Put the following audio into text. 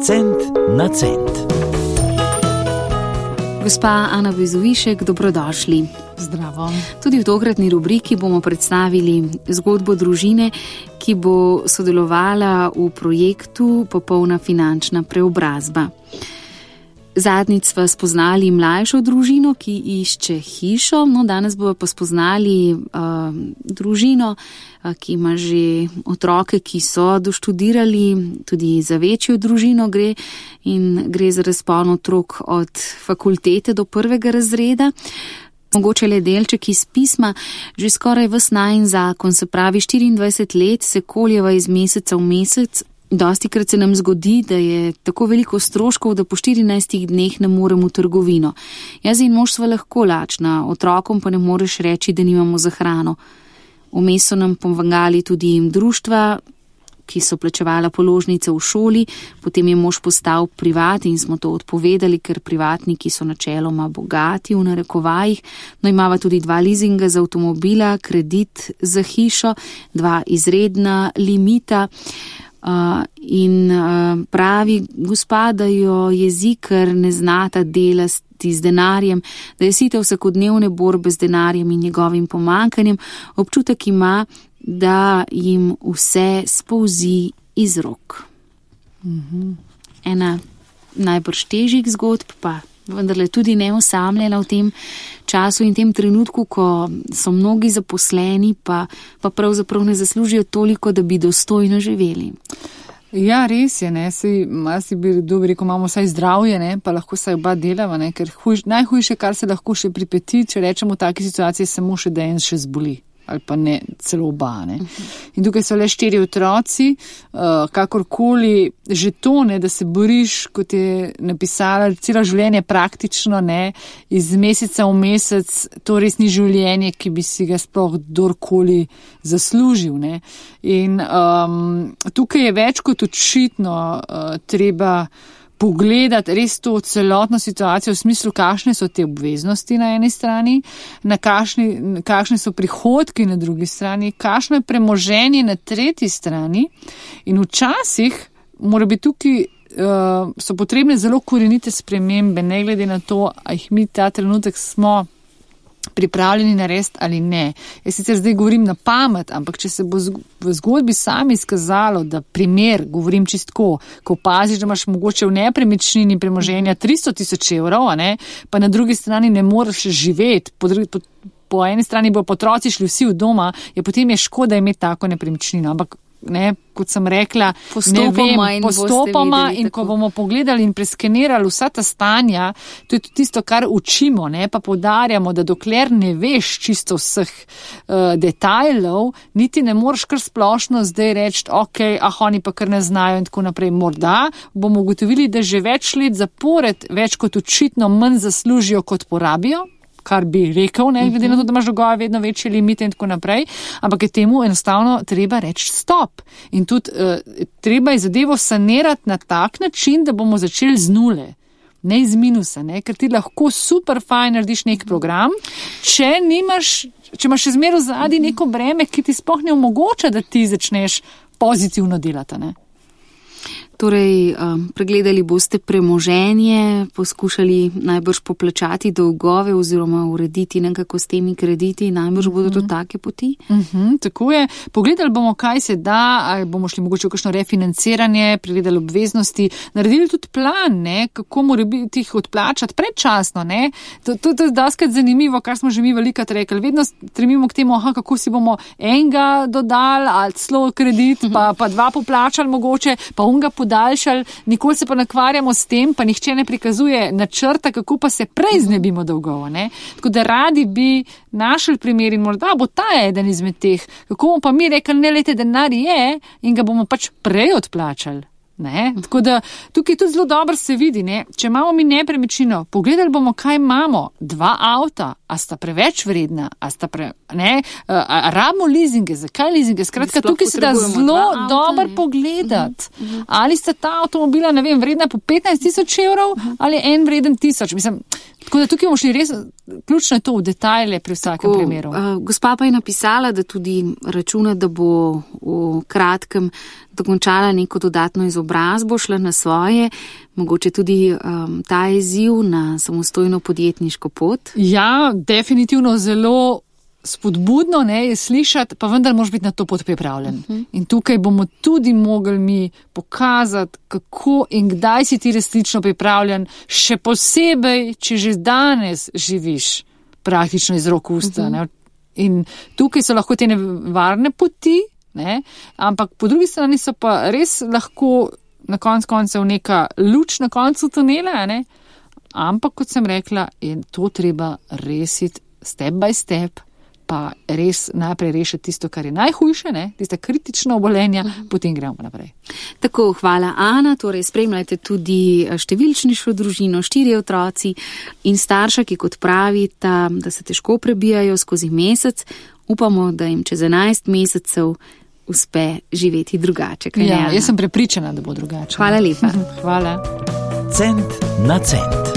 Cent na cent. Gospa Ana Bezovišek, dobrodošli. Zdravo. Tudi v tokratni rubriki bomo predstavili zgodbo družine, ki bo sodelovala v projektu Popolna finančna preobrazba. Zadnjič sva spoznali mlajšo družino, ki išče hišo, danes bomo pa spoznali družino, ki ima že otroke, ki so doštudirali, tudi za večjo družino gre za razpon otrok od fakultete do 1. razreda. Mogoče le delček iz pisma, že skoraj ves najin zakon, se pravi 24 let, se koljeva iz meseca v mesec. Dostikrat se nam zgodi, da je tako veliko stroškov, da po 14 dneh ne moremo v trgovino. Jaz in mož sva lahko lačna, otrokom pa ne moreš reči, da nimamo za hrano. Vmes so nam pomagali tudi društva, ki so plačevala položnice v šoli, potem je mož postal privat in smo to odpovedali, ker privatniki so načeloma bogati v narekovajih. Imava tudi 2 leasinga za avtomobila, kredit za hišo, 2 izredna limita. Pravi gospa, da jo jezi, ker ne znata delati z denarjem, da je sita vsakodnevne borbe z denarjem in njegovim pomankanjem, občutek ima, da jim vse spolzi iz rok. Ena najbrž težjih zgodb, pa vendarle tudi neosamljena v tem času in tem trenutku, ko so mnogi zaposleni, pa pravzaprav ne zaslužijo toliko, da bi dostojno živeli. Ja, res je, si bi rekel, imamo vsaj zdravje, pa lahko vsaj oba delava, ker najhujše, kar se lahko še pripeti, če rečemo v taki situaciji, samo še da en še zboli. Ali pa ne, celo oba. In tukaj so le 4 otroci, kakorkoli že to, da se boriš, kot je napisala, celo življenje praktično, iz meseca v mesec, to res ni življenje, ki bi si ga sploh kdorkoli zaslužil. In tukaj je več kot očitno treba pogledati res to celotno situacijo v smislu, kakšne so te obveznosti na eni strani, kakšne so prihodki na drugi strani, kakšno je premoženje na tretji strani in včasih mora biti tukaj, so potrebne zelo korenite spremembe, ne glede na to, a jih mi ta trenutek smo pripravljeni narediti ali ne. Jaz sicer zdaj govorim na pamet, ampak če se bo v zgodbi sami izkazalo, da primer, govorim čistko, ko opaziš, da imaš mogoče v nepremičnini premoženja 300,000 evrov, pa na drugi strani ne moreš živeti, po eni strani bo otroci šli vsi v doma, potem je škoda imeti tako nepremičnino, ampak kot sem rekla, postopoma in ko bomo pogledali in preskenirali vsa ta stanja, to je tudi tisto, kar učimo, pa poudarjamo, da dokler ne veš čisto vseh detajlov, niti ne moreš kar splošno zdaj reči, oni pa kar ne znajo in tako naprej. Morda bomo ugotovili, da že več let zapored več kot očitno manj zaslužijo, kot porabijo, kar bi rekel, glede na to, da imaš dolgove vedno večje limite in tako naprej, ampak je temu enostavno treba reči stop. In tudi treba je zadevo sanirati na tak način, da bomo začeli z nule, ne iz minusa, ker ti lahko super fajn narediš nek program, če imaš še zmeraj zadnji neko breme, ki ti sploh ne omogoča, da ti začneš pozitivno delati, Torej, pregledali boste premoženje, poskušali najbrž poplačati dolgove oziroma urediti nekako s temi krediti, najbrž bodo to take poti? Tako je. Pogledali bomo, kaj se da, ali bomo šli mogoče v kakšno refinanciranje, pregledali obveznosti, naredili tudi plan, kako mora biti jih odplačati predčasno. To je doskrat zanimivo, kar smo že mi velikokrat rekli. Vedno stremimo k temu, kako si bomo enega dodali, ali celo kredit, pa 2 poplačali mogoče, pa unga podaljšali, nikoli se pa nakvarjamo s tem, pa nihče ne prikazuje načrta, kako pa se prej znebimo dolgov. Tako da radi bi našli primer in morda bo ta eden izmed teh, kako bomo pa mi rekli, denar je in ga bomo pač prej odplačali. Tako da tukaj tudi zelo dobro se vidi, če imamo mi nepremičnino, pogledali bomo, kaj imamo, 2 avta, a sta preveč vredna, a rabimo leasinge, zakaj leasinge, skratka, tukaj se da zelo dobro pogledati, ali sta ta avtomobila, vredna po 15,000 evrov, ali je en vreden 1000, Tako da tukaj bomo šli res, ključno je to v detajle pri vsakem primeru. Gospa pa je napisala, da tudi računa, da bo v kratkem dokončala neko dodatno izobrazbo, šla na svoje, mogoče tudi ta izziv na samostojno podjetniško pot. Ja, definitivno zelo spodbudno je slišati, pa vendar moraš biti na to pot pripravljen. In tukaj bomo tudi mogli mi pokazati, kako in kdaj si ti resnično pripravljen, še posebej, če že danes živiš praktično iz rok v usta. In tukaj so lahko te nevarne poti, ampak po drugi strani so pa res lahko na koncu neka luč na koncu tunela, ampak kot sem rekla, je to treba resiti step by step, pa res najprej rešiti tisto, kar je najhujše, tiste kritične obolenja, potem gremo naprej. Tako, hvala Ana, torej spremljajte tudi številčnejšo družino, 4 otroci in starša, ki kot pravita, da se težko prebijajo skozi mesec, upamo, da jim čez 11 mesecev uspe živeti drugače. Ja, jaz sem prepričana, da bo drugače. Hvala lepa. Hvala. Cent na cent.